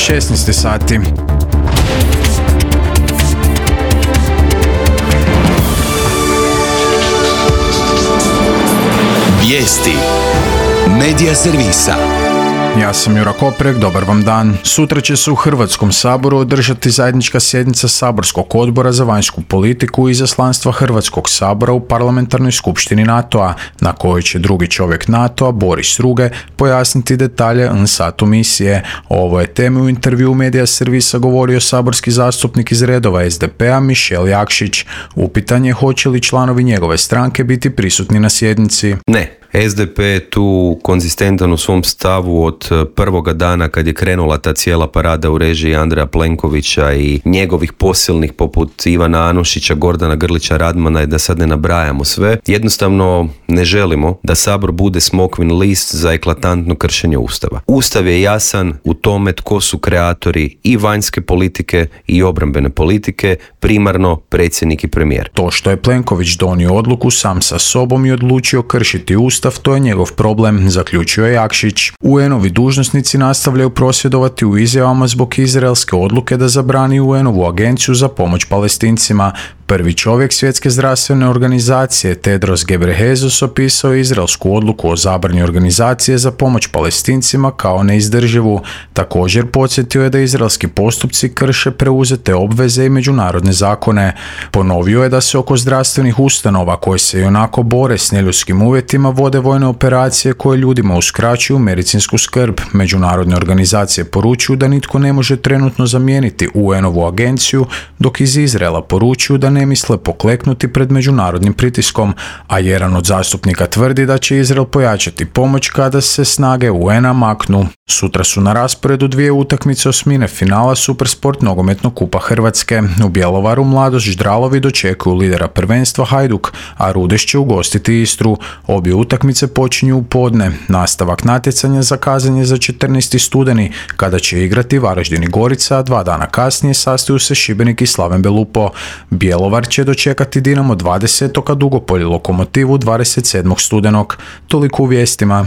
16 sati. Vijesti Medija servisa. Ja sam Jura Koprek, dobar vam dan. Sutra će se u Hrvatskom saboru održati zajednička sjednica Saborskog odbora za vanjsku politiku i izaslanstva Hrvatskog sabora u Parlamentarnoj skupštini NATO-a, na kojoj će drugi čovjek NATO-a, Boris Ruge, pojasniti detalje NSATU misije. O ovoj temi u intervju Medija servisa govorio saborski zastupnik iz redova SDP-a Mišel Jakšić. Upitan je hoće li članovi njegove stranke biti prisutni na sjednici. Ne. SDP je tu konzistentan u svom stavu od prvoga dana kad je krenula ta cijela parada u režiji Andreja Plenkovića i njegovih posilnih poput Ivana Anušića, Gordana Grlića Radmana i da sad ne nabrajamo sve. Jednostavno ne želimo da Sabor bude smokvin list za eklatantno kršenje Ustava. Ustav je jasan u tome tko su kreatori i vanjske politike i obrambene politike, primarno predsjednik i premijer. To što je Plenković donio odluku sam sa sobom i odlučio kršiti Ustav, to je njegov problem, zaključio je Jakšić. UN-ovi dužnosnici nastavljaju prosvjedovati u izjavama zbog izraelske odluke da zabrani UN-ovu agenciju za pomoć Palestincima. Prvi čovjek Svjetske zdravstvene organizacije Tedros Ghebreyesus opisao izraelsku odluku o zabrani organizacije za pomoć Palestincima kao neizdrživu. Također podsjetio je da izraelski postupci krše preuzete obveze i međunarodne zakone. Ponovio je da se oko zdravstvenih ustanova koje se ionako bore s neljudskim uvjetima vode vojne operacije koje ljudima uskraćuju medicinsku skrb. Međunarodne organizacije poručuju da nitko ne može trenutno zamijeniti UN-ovu agenciju, dok iz Izraela poručuju da ne misle pokleknuti pred međunarodnim pritiskom, a jedan od zastupnika tvrdi da će Izrael pojačati pomoć kada se snage UN-a maknu. Sutra su na rasporedu dvije utakmice osmine finala Supersport nogometnog kupa Hrvatske. U Bjelovaru Mladost Ždralovi dočekuju lidera prvenstva Hajduk, a Rudeš će ugostiti Istru. Obje utakmice počinju u podne. Nastavak natjecanja zakazan je za 14. studeni, kada će igrati Varaždin i Gorica, a 2 dana kasnije sastaju se Šibenik i Slaven Belupo. Bjelovar će dočekati Dinamo 20. a Dugopolje Lokomotivu 27. studenog. Toliko u vijestima.